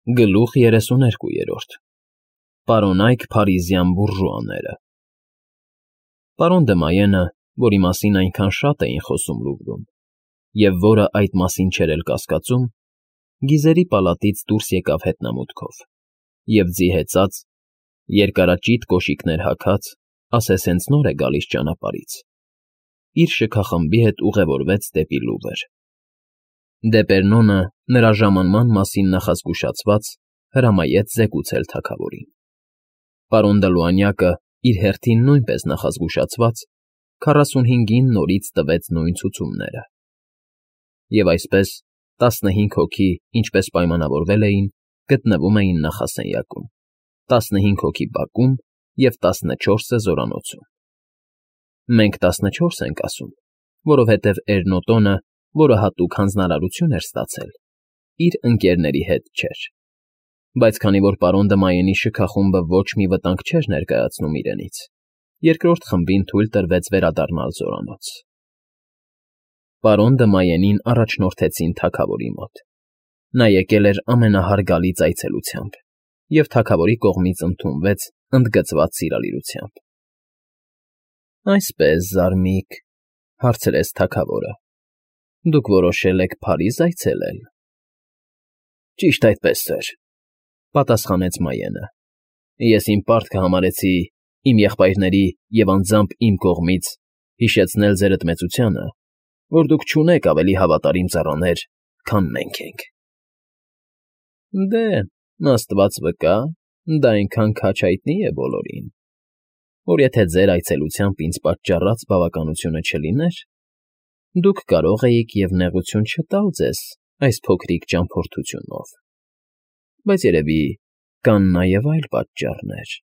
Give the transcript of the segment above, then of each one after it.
Գլուխ 32 Պարոնայք փարիզյան բուրժուաները Պարոն դը Մայենը, որի մասին այնքան շատ էին խոսում Լուվրում, և որը այդ մասին չէր էլ կասկածում, գիզերի պալատից դուրս եկավ հետնամուտքով և ձի հեծած, երկարաճիտ կոշիկներ հագած, ասես հենց նոր է գալիս ճանապարհից, իր շքախմբի հետ ուղևորվեց դեպի Լուվր։ Դեպերնոնը, նրա ժամանման մասին նախազգուշացված, հրամայեց զեկուցել թագավորին։ Պարոն Դլուանյակը, իր հերթին նույնպես նախազգուշացված, 45-ին նորից տվեց նույն ցուցումները։ Եվ այսպես, 15 հոգի, ինչպես պայմանավորվել էին, գտնվում էին նախասենյակում, 15 հոգի բակում և 14-ը զորանոցում։ Մենք 14 ենք ասում, որովհետև Էրնոտոնը, որը հատուկ հանձնարարություն էր ստացել, իր ընկերների հետ չէր, բայց քանի որ պարոն դը Մայենի շքախումբը ոչ մի վտանգ չէր ներկայացնում իրենից, երկրորդ խմբին թույլ տրվեց վերադառնալ զորանոց։ Պարոն դը Մայենին առաջնորդեցին թագավորի մոտ։ Նա եկել էր ամենահարգալից այցելությամբ և թագավորի կողմից ընդունվեց ընդգծված սիրալիրությամբ։ ֊ Այսպես, զարմիկ,֊ հարցրեց թագավորը,֊ դուք որոշել եք Փարիզ այցելել։ ֊ Ճիշտ այդպես, սըր,֊ պատասխանեց Մայենը։ Ես իմ պարտքը համարեցի իմ եղբայրների և անձամբ իմ կողմից հիշեցնել ձերդ մեծությանը, որ դուք չունեք ավելի հավատարիմ ծառաներ, քան մենք ենք։ ֊ Դե, աստված վկա, դա այնքան քաջ հայտնի է բոլորին, որ եթե ձեր այցելությամբ ինձ պատճառած բավականությունը չլիներ, դուք կարող էիք և նեղություն չտալ ձեզ այս փոքրիկ ճամփորդությունով, բայց երևի կան նաև այլ պատճառներ։ ֊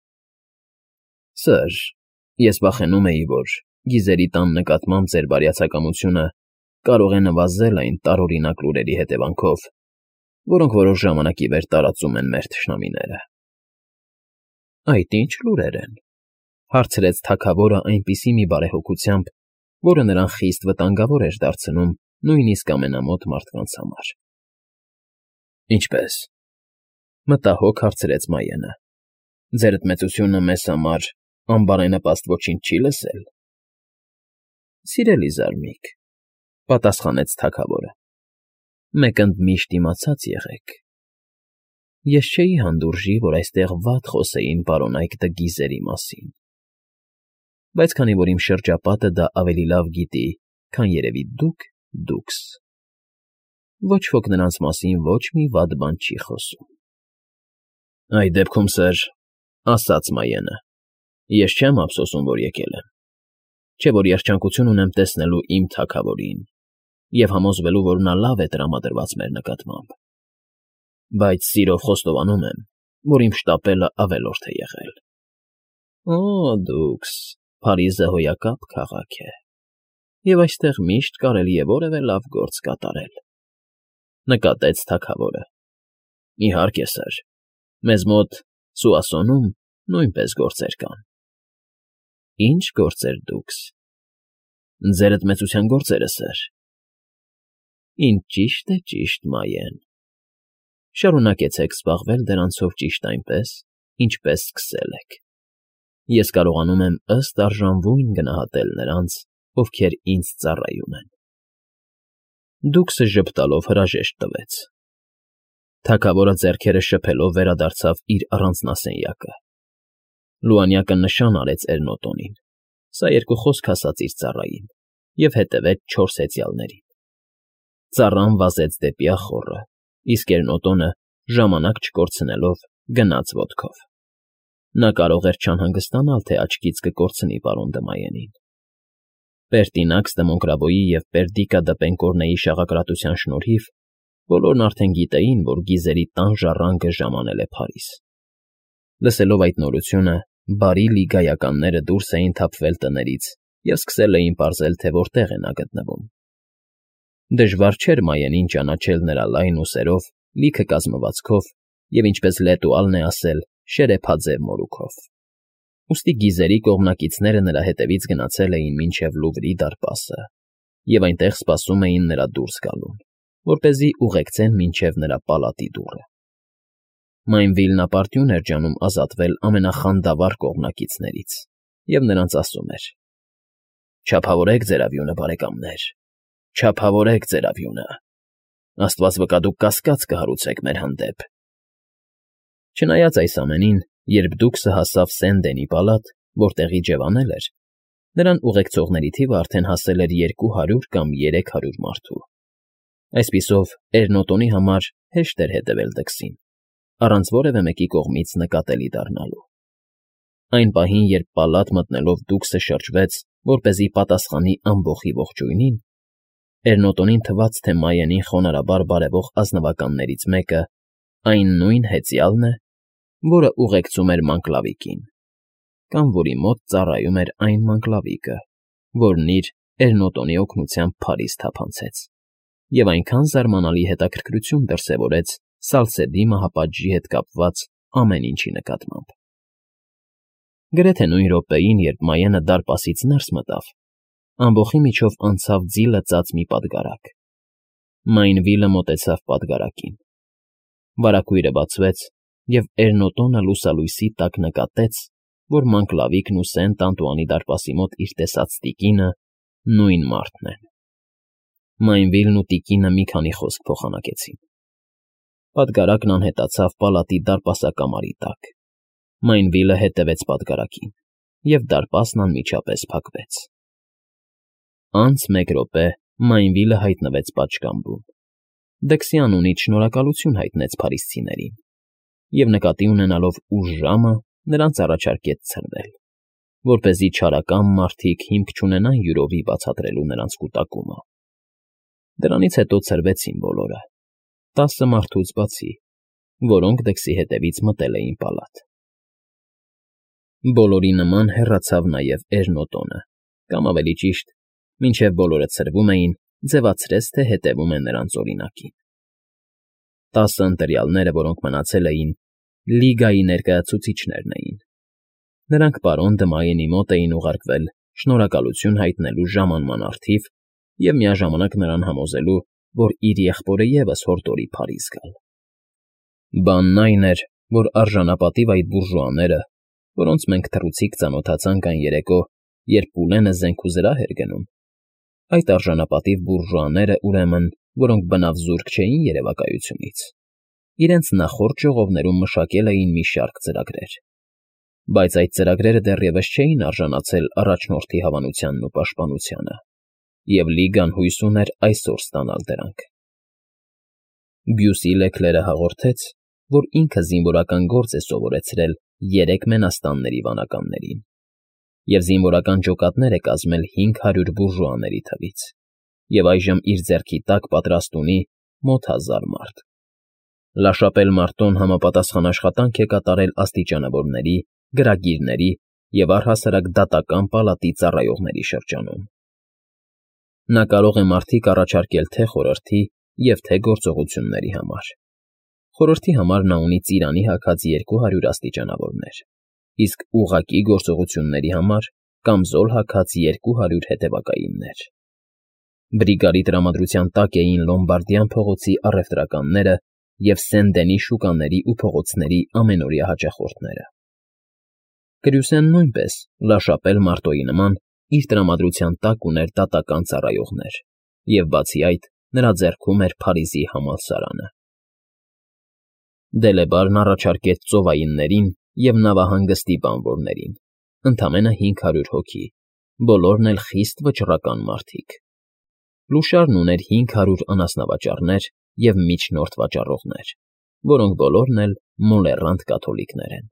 Սըր, ես վախենում էի, որ գիզերի տան նկատմամբ ձեր բարյացակամությունը կարող է նվազել այն տարօրինակ լուրերի հետևանքով, որոնք որոշ ժամանակի վեր տարածում են մեր թշնամիները։ ֊ Այդ ի՞նչ լուրեր են,֊ հարցրեց թագավորը այնպիսի մի բարեհոգությամբ, որը նրան խիստ վտանգավոր էր դարձնում նույնիսկ ամենամոտ մարդկանց համար։ ֊ Ինչպե՞ս,֊ մտահոգ հարցրեց Մայենը,֊ ձերդ մեծությունը մեզ համար անբարենպաստ ոչինչ չի՞ լսել։ ֊ Սիրելի զարմիկ,֊ պատասխանեց թագավորը,֊ մեկ ընդ միշտ իմացած եղեք. ես չէի հանդուրժի, որ այստեղ վատ խոսեին պարոնայք դը Գիզերի մասին, բայց քանի որ իմ շրջապատը դա ավելի լավ գիտի, քան երևի դուքս, ոչ ոք նրանց մասին ոչ մի վատ բան չի խոսում։ ֊ Այդ դեպքում, սըր,֊ ասաց Մայենը,֊ ես չեմ ափսոսում, որ եկել եմ, չէ որ երջանկություն ունեմ տեսնելու իմ թագավորին և համոզվելու, որ նա լավ է տրամադրված մեր նկատմամբ, բայց սիրով խոստովանում եմ, որ իմ շտապելը ավելորդ է եղել։ ֊ Դուքս, Փարիզը հոյակապ քաղաք է, և այստեղ միշտ կարելի է որևէ լավ գործ կատարել,֊ նկատեց թագավորը։ ֊ Իհարկե, սըր, մեզ մոտ Սուասոնում նույնպես գործեր կան։ ֊ Ի՞նչ գործեր դուքս։ ֊ Ձերդ մեծության գործերը, սըր։ ֊ Ինչ ճիշտ է ճիշտ, Մայեն, շարունակեցեք զբաղվել դրանցով ճիշտ այնպես, ինչպես սկսել եք։ Ես կարողանում եմ ըստ արժանվույն գնահատել նրանց, ովքեր ինձ ծառայում են։ Դուքսը ժպտալով հրաժեշտ տվեց։ Թագավորը ձեռքերը շփելով վերադարձավ իր առանձնասենյակը։ Լուանյակը նշան արեց Էրնոտոնին, սա երկու խոսք ասաց իր ծառային և հետևեց 4 հեծյալներին։ Ծառան վազեց դեպի ախոռը, իսկ Էրնոտոնը, ժամանակ չկորցնելով, գնաց ոտքով։ Նա կարող էր չանհանգստանալ, թե աչքից կկորցնի պարոն դը Մայենին։ Պերտինաքս դը Մոնկրավոյի և Պերդիկա դը Պենկորնեի շաղակրատության շնորհիվ բոլորն արդեն գիտեին, որ Գիզերի տան ժառանգը ժամանել է Փարիզ։ Լսելով այդ նորությունը, բարի լիգայականները դուրս էին թափվել տներից և սկսել էին պարզել, թե որտեղ է նա գտնվում։ Դժվար չէր Մայենին ճանաչել նրա լայն ուսերով, լիքը կազմվածքով և, ինչպես Լետուալն է ասել, շերեփաձև մորուքով։ Ուստի Գիզերի կողմնակիցները նրա հետևից գնացել էին մինչև Լուվրի դարպասը և այնտեղ սպասում էին նրա դուրս գալուն, որպեսզի ուղեկցեն մինչև նրա պալատի դուռը։ Մայնվիլն ապարդյուն էր ջանում ազատվել ամենախանդավառ կողմնակիցներից և նրանց ասում էր. «Չափավորեք ձեր ավյունը, բարեկամներ, չափավորեք ձեր ավյունը, աստված վկա, դուք կասկած կհարուցեք մեր հանդեպ»։ Չնայած այս ամենին, երբ Դուքսը հասավ Սենդենի պալատ, որտեղ իջևանել էր, նրան ուղեկցողների թիվը արդեն հասել էր 200 կամ 300 մարդու։ Այսպիսով, Էրնոտոնի համար հեշտ էր հետևել Դքսին, առանց որևէ մեկի կողմից նկատելի դառնալու։ Այն պահին, երբ պալատ մտնելով Դուքսը շրջվեց, որպեսզի պատասխանի ամբոխի ողջույնին, Էրնոտոնին թվաց, թե Մայենին խոնարհաբար բարևող ազնվականներից մեկը այն նույն հեծյալն է, որը ուղեկցում էր Մանկլավիկին, կամ որի մոտ ծառայում էր այն Մանկլավիկը, որն իր Էրնոտոնի օգնությամբ Փարիզ թափանցեց, և այնքան զարմանալի հետաքրքրություն դրսևորեց Սալսեդի մահապատժի հետ կապված ամեն ինչի նկատմամբ։ Գրեթե նույն րոպեին, երբ Մայենը դարպասից ներս մտավ, ամբոխի միջով անցավ ձի լծած մի պատգարակ։ Մայնվիլը մոտեցավ պատգարակին։ Վարագույրը բացվեց, և Էրնոտոնը լուսալույսի տակ նկատեց, որ Մանկլավիկն ու Սենտ Անտուանի դարպասի մոտ իր տեսած տիկինը նույն մարդն են։ Մայնվիլն ու տիկինը մի քանի խոսք փոխանակեցին։ Պատգարակն անհետացավ պալատի դարպասակամարի տակ։ Մայնվիլը հետևեց պատգարակին, և դարպասն անմիջապես փակվեց։ Անց մեկ րոպե Մայնվիլը հայտնվեց պատշգամբում։ Դքսի անունից շնորհակալություն հայտնեց փարիսցիներին և, նկատի ունենալով ուշ ժամը, նրանց առաջարկեց ցրվել, որպեսզի չարակամ մարդիկ հիմք չունենան յուրովի բացատրելու նրանց կուտակումը։ Դրանից հետո ցրվեցին բոլորը, 10 մարդուց բացի, որոնք Դքսի հետևից մտել էին պալատ։ Բոլորի նման հեռացավ նաև Էրնոտոնը, կամ ավելի ճիշտ, մինչև բոլորը ցրվում էին, ձևացրեց, թե հետևում են նրանց օրինակին։ 10 ընտրյալները, որոնք մնացել էին, Լիգայի ներկայացուցիչներն էին։ Նրանք պարոն Դմայենի մոտ էին ուղարկվել շնորհակալություն հայտնելու ժամանման առթիվ և միաժամանակ նրան համոզելու, որ իր եղբորը ևս հորդորի Փարիզ գալ։ Բանն այն էր, որ արժանապատիվ այդ բուրժուաները, որոնց մենք թռուցիկ ծանոթացանք այն երեկո, երբ Պուլենը զենք ու զրահ էր գնում, այդ արժանապատիվ բուրժուաները, ուրեմն, որոնք բնավ զուրկ չէին երևակայությունից, իրենց նախորդ ժողովներում մշակել էին մի շարք ծրագրեր, բայց այդ ծրագրերը դեռևս չէին արժանացել առաջնորդի հավանությանն ու պաշտպանությանը, և Լիգան հույս ուներ այսօր ստանալ դրանք։ Բյուսի Լեքլերը հաղորդեց, որ ինքը զինվորական գործ է սովորեցրել 3 մենաստանների վանականներին և զինվորական ջոկատներ է կազմել 500 բուրժուաների թվից, և այժմ իր ձեռքի տակ պատրաստ ունի մոտ 1000 մարդ։ Լաշապել Մարտոն համապատասխան աշխատանք է կատարել աստիճանավորների, գրագիրների և առհասարակ դատական պալատի ծառայողների շրջանում։ Նա կարող է մարդիկ առաջարկել թե խորհրդի և թե գործողությունների համար։ Խորհրդի համար նա ունի ծիրանի հագած 200 աստիճանավորներ, իսկ ուղղակի գործողությունների համար կամզոլ հագած 200 հետևակայիններ։ Բրիգարի տրամադրության տակ էին Լոմբարդյան փողոցի առևտրականները և Սենդենի շուկաների ու փողոցների ամենօրյա հաճախորդները։ Կրյուսեն նույնպես, Լաշապել Մարտոյի նման, իր տրամադրության տակ ուներ դատական ծառայողներ, և բացի այդ, նրա ձեռքում էր Փարիզի համալսարանը։ Դելեբարն առաջարկեց ծովայիններին և նավահանգստի բանվորներին, ընդամենը 500 հոգի, բոլորն էլ խիստ վճռական մարդիկ։ Լուշարն ուներ 500 անասնավաճառներ և միջնորդ վաճառողներ, որոնք բոլորն էլ մոլեռանդ կաթոլիկներ են։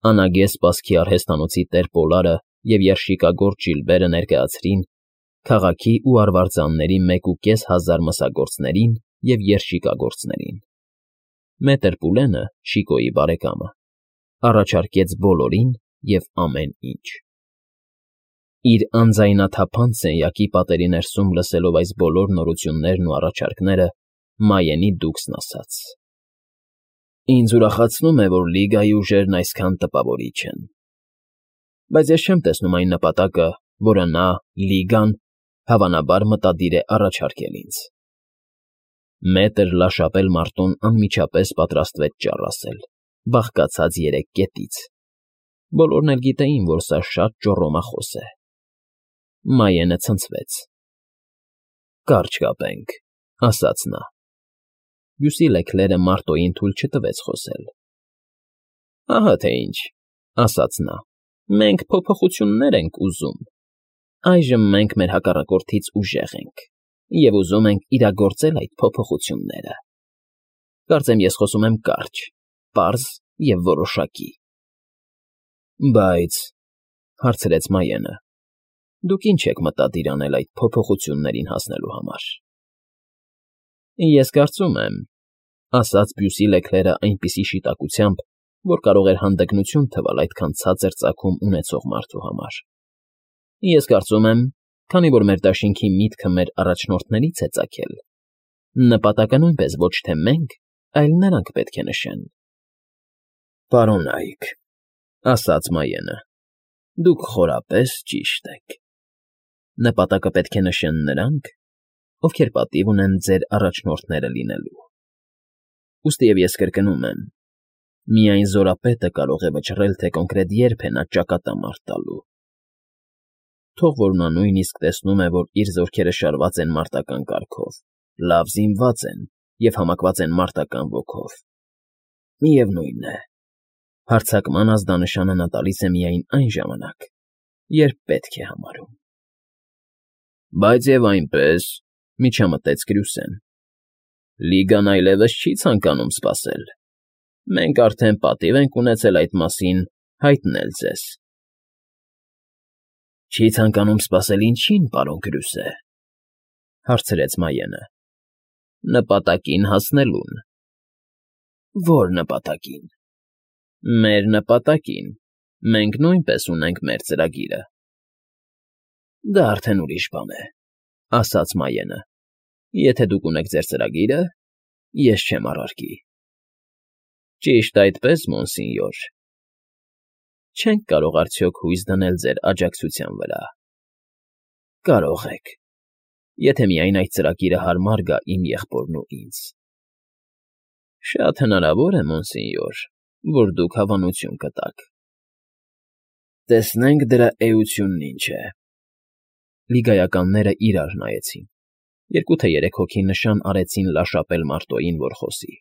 Անագես սպասքի արհեստանոցի տեր Պոլարը և երշիկագործ Ժիլբերը ներկայացրին քաղաքի ու արվարձանների 1500 մսագործներին և երշիկագործներին։ Մետր Պուլենը, Շիկոյի բարեկամը, առաջարկեց բոլորին և ամեն ինչ։ Իր անձայնաթափանց սենյակի պատերի ներսում լսելով այս բոլոր նորություններն ու առաջարկները, Մայենի Դուքսն ասաց. «Ինձ ուրախացնում է, որ Լիգայի ուժերն այսքան տպավորիչ են, բայց ես չեմ տեսնում այն նպատակը, որը նա, Լիգան, հավանաբար մտադիր է առաջարկել ինձ»։ Մետր լաշապել մարտոն անմիջապես պատրաստվեց ճառ ասել, բաղկացած 3 կետից. բոլորն էլ գիտեին, որ սա շատ ճոռոմախոս է։ Մայենը ցնցվեց։ «Կարճ կապենք», ասաց նա։ Բյուսի Լեքլերը Մարտոյին թույլ չտվեց խոսել։ «Ահա թե ինչ», ասաց նա, «մենք փոփոխություններ ենք ուզում։ Այժմ մենք մեր հակառակորդից ուժեղ ենք և ուզում ենք իրագործել այդ փոփոխությունները։ Կարծեմ ես խոսում եմ կարճ, պարզ և որոշակի»։ «Բայց,֊ հարցրեց Մայենը,֊ դուք ինչ եք մտադիր անել այդ փոփոխություններին հասնելու համար»։ «Ես կարծում եմ,֊ ասաց Բյուսի Լեքլերը այնպիսի շիտակությամբ, որ կարող էր հանդգնություն թվալ այդքան ցածր ծագում ունեցող մարդու համար,֊ ես կարծում եմ, քանի որ մեր դաշինքի միտքը մեր առաջնորդներից է ծագել, նպատակը նույնպես ոչ թե մենք, այլ նրանք պետք է նշեն»։ «Պարոն Այք,֊ ասաց Մայենը,֊ դուք խորապես ճիշտ եք։ Նպատակը պետք է նշեն նրանք, ովքեր պատիվ ունեն ձեր առաջնորդները լինելու։ Ուստիև ես կրկնում եմ. միայն զորապետը կարող է վճռել, թե կոնկրետ երբ է նա ճակատամարտ տալու։ Թող որ նա նույնիսկ տեսնում է, որ իր զորքերը շարված են մարտական կարգով, լավ զինված են և համակված են մարտական ոգով։ Միևնույն է, հարձակման ազդանշանը նա տալիս է միայն այն ժամանակ, երբ պետք է համարում»։ «Բայց և այնպես,֊ միջամտեց Կրյուսեն,֊ Լիգան այլևս չի ցանկանում սպասել։ Մենք արդեն պատիվ ենք ունեցել այդ մասին հայտնել ձեզ»։ «Չի ցանկանում սպասել ինչի՞ն, պարոն Կրյուսե,֊ հարցրեց Մայենը։ «Նպատակին հասնելուն»։ «Ո՞ր նպատակին»։ «Մեր նպատակին։ Մենք նույնպես ունենք մեր ծրագիրը»։ «Դա արդեն ուրիշ բան է,֊ ասաց Մայենը։ Եթե դուք ունեք ձեր ծրագիրը, ես չեմ առարկի»։ «Ճիշտ այդպես, մոնսինյոր»։ «Չենք կարող արդյոք հույս դնել ձեր աջակցության վրա»։ «Կարող եք, եթե միայն այդ ծրագիրը հարմար գա իմ եղբորն ու ինձ»։ «Շատ հնարավոր է, մոնսինյոր, որ դուք հավանություն կտաք»։ «Տեսնենք դրա էությունն ինչ է»։ Լիգայականները իրար նայեցին։ 2 թե 3 հոգի նշան արեցին լաշապել Մարտոյին, որ խոսի։